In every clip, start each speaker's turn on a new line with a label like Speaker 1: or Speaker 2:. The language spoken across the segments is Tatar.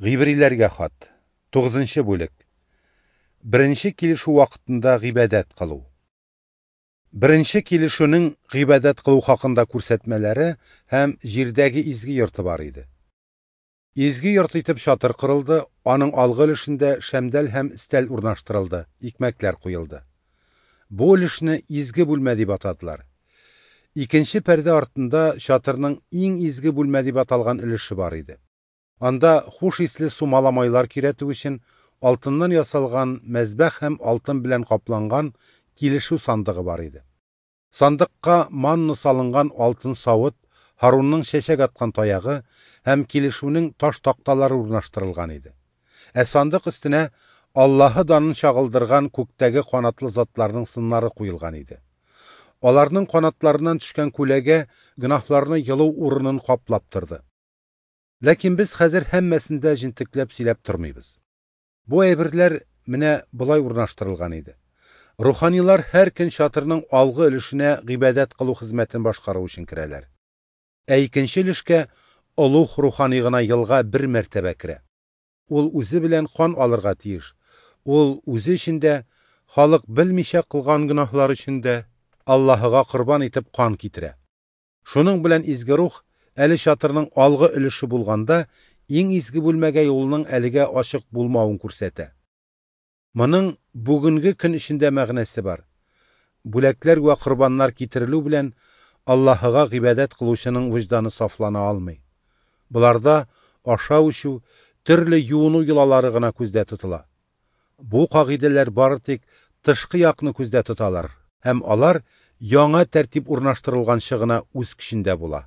Speaker 1: Гыйбриләргә хат. 9 бүлек. Беренче килешү вакытында гыйбадәт кылу. Беренче килешүнең гыйбадәт кылу хакында күрсәтмәләре һәм җирдәге изге йорты бар иде. Изге йорт итеп чатыр корылды, аның алгы өлешендә шәмдәл һәм өстәл урнаштырылды, икмәкләр куелды. Бу өлешне изге бүлмә дип атадылар. Икенче пәрдә артында чатырның иң изге бүлмә дип аталган өлеше бар иде. Анда хуш исле сумала майлар көйрәтү өчен алтыннан ясалган мәзбәх һәм алтын белән капланган килешү сандыгы бар иде. Сандыкка манна салынган алтын савыт, Һарунның чәчәк аткан таягы һәм килешүнең таш такталары урнаштырылган иде. Ә сандык өстенә Аллаһы данын чагылдырган күктәге канатлы затларның сыннары куелган иде. Аларның канатларыннан төшкән күләгә гөнаһларны йылу урынын каплап торды. Ләкин без хәзер һәммәсен дә җентекләп сөйләп тормыйбыз. Бу әйберләр менә болай урнаштырылган иде. Руханилар һәр көн чатырның алгы өлешенә гыйбадәт кылу хезмәтен башкару өчен керәләр. Ә икенче өлешкә олуг рухани гына елга бер мәртәбә керә. Ул үзе белән кан алырга тиеш. Ул үзе өчен дә, халык белмичә кылган гөнаһлар өчен дә Аллаһыга корбан итеп кан китерә. Шуның белән изге рух әле чатырның алгы өлеше булганда иң изге бүлмәгә юлның әлегә ачык булмавын күрсәтә. Моның бүгенге көн эчендә мәгънәсе бар. Бүләкләр вә корбаннар китерелү белән Аллаһыга гыйбадәт кылучының вөҗданы сафлана алмый. Боларда ашау-эчү, төрле юыну йолалары гына күздә тотыла. Бу кагыйдәләр бары тик тышкы якны күздә тоталар һәм алар яңа тәртип урнаштырылганчы гына үз көчендә була.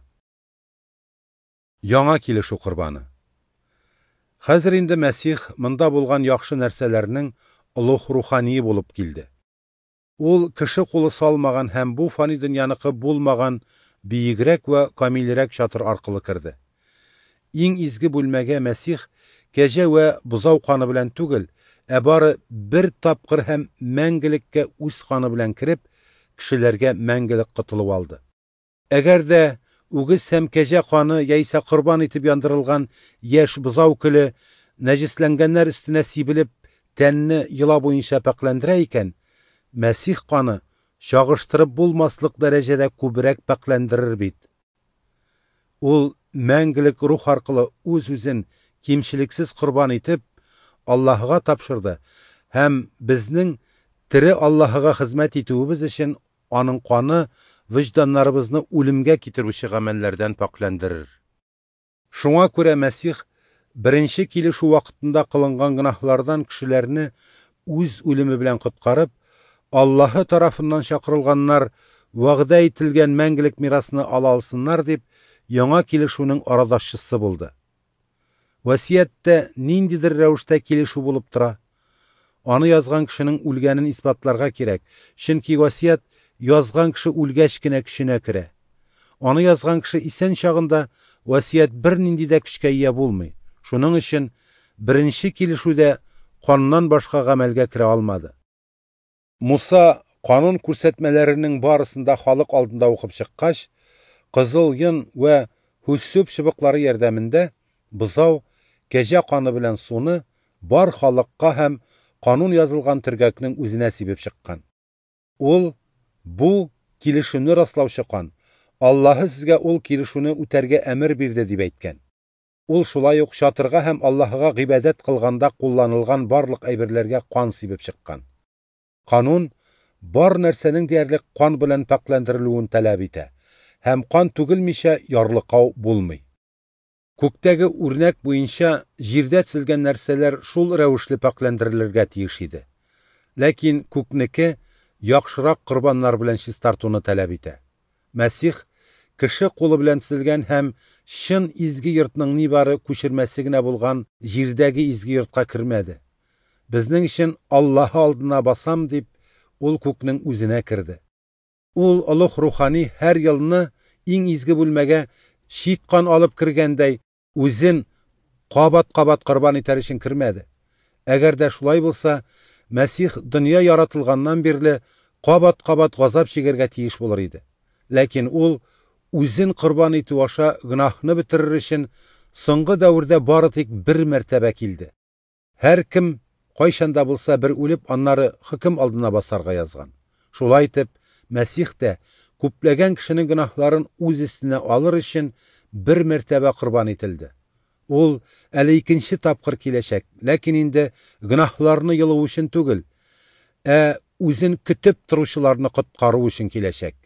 Speaker 1: Яңа килешү корбаны. Хәзер инде Мәсих монда булган яхшы нәрсәләрнең олуг рухание булып килде. Ул кеше кулы салмаган һәм бу фани дөньяныкы булмаган биегрәк вә камилрәк чатыр аркылы керде. Иң изге бүлмәгә Мәсих кәҗә вә бозау каны белән түгел, ә бары бер тапкыр һәм мәңгелеккә үз каны белән кереп, кешеләргә мәңгелек котылу алды. Әгәр дә үгез һәм кәҗә каны яисә корбан итеп яндырылган яшь бозау көле нәҗесләнгәннәр өстенә сибелеп, тәнне йола буенча пакьләндерә икән, Мәсих каны чагыштырып булмаслык дәрәҗәдә күбрәк пакьләндерер бит. Ул мәңгелек рух аркылы үз-үзен кимчелексез корбан итеп, Аллаһыга тапшырды һәм безнең тере Аллаһыга хезмәт итүебез өчен аның каны вөҗданнарыбызны үлемгә китерүче гамәлләрдән пакьләндерер. Шуңа күрә Мәсих беренче килешү вакытында кылынган гөнаһлардан кешеләрне үз үлеме белән коткарып, Аллаһы тарафыннан чакырылганнар вәгъдә ителгән мәңгелек мирасны ала алсыннар дип, яңа килешүнең арадашчысы булды. Васыятьтә ниндидер рәвештә килешү булып тора. Аны язган кешенең үлгәнен исбатларга кирәк, чөнки васыять язган кеше үлгәч кенә көченә керә. Аны язган кеше исән чагында васыять бернинди дә көчкә ия булмый. Шуның өчен беренче килешүдә каннан башка гамәлгә керә алмады. Муса канун күрсәтмәләренең барысын да халык алдында укып чыккач, кызыл йон вә һүссүп чыбыклары ярдәмендә бозау, кәҗә каны белән суны бар халыкка һәм канун язылган төргәкнең үзенә сибеп чыккан. Ул бу килешүне раслаучы кан, Аллаһы сезгә ул килешүне үтәргә әмер бирде дип әйткән. Ул шулай ук чатырга һәм Аллаһыга гыйбадәт кылганда кулланылган барлык әйберләргә кан сибеп чыккан. Канун бар нәрсәнең диярлек кан белән пакьләндерелүен таләп итә һәм кан түгелмичә ярлыкау булмый. Күктәге үрнәк буенча җирдә төзелгән нәрсәләр шул рәвешле пакьләндерелергә тиеш иде. Ләкин күкнеке яхшырак корбаннар белән чистартуны таләп итә. Мәсих кеше кулы белән төзелгән һәм чын изге йортның нибары күчермәсе генә булган җирдәге изге йортка кермәде. Безнең өчен Аллаһы алдына басам дип, ул күкнең үзенә керде. Ул олуг рухани һәр елны иң изге бүлмәгә чит кан алып кергәндәй, үзен кабат-кабат корбан итәр өчен кермәде. Әгәр дә шулай булса, Мәсих дөнья яратылганнан бирле кабат-кабат газап чигәргә тиеш булыр иде. Ләкин ул үзен корбан итү аша гөнаһны бетерер өчен соңгы дәвердә бары тик бер мәртәбә килде. Һәркем кайчан да булса бер үлеп, аннары хөкем алдына басарга язган. Шулай итеп, Мәсих тә күпләгән кешенең гөнаһларын үз өстенә алыр өчен бер мәртәбә корбан ителде. Ул әле икенче тапкыр киләчәк, ләкин инде гөнаһларны йолу өчен түгел, ә үзен көтеп торучыларны коткару өчен киләчәк.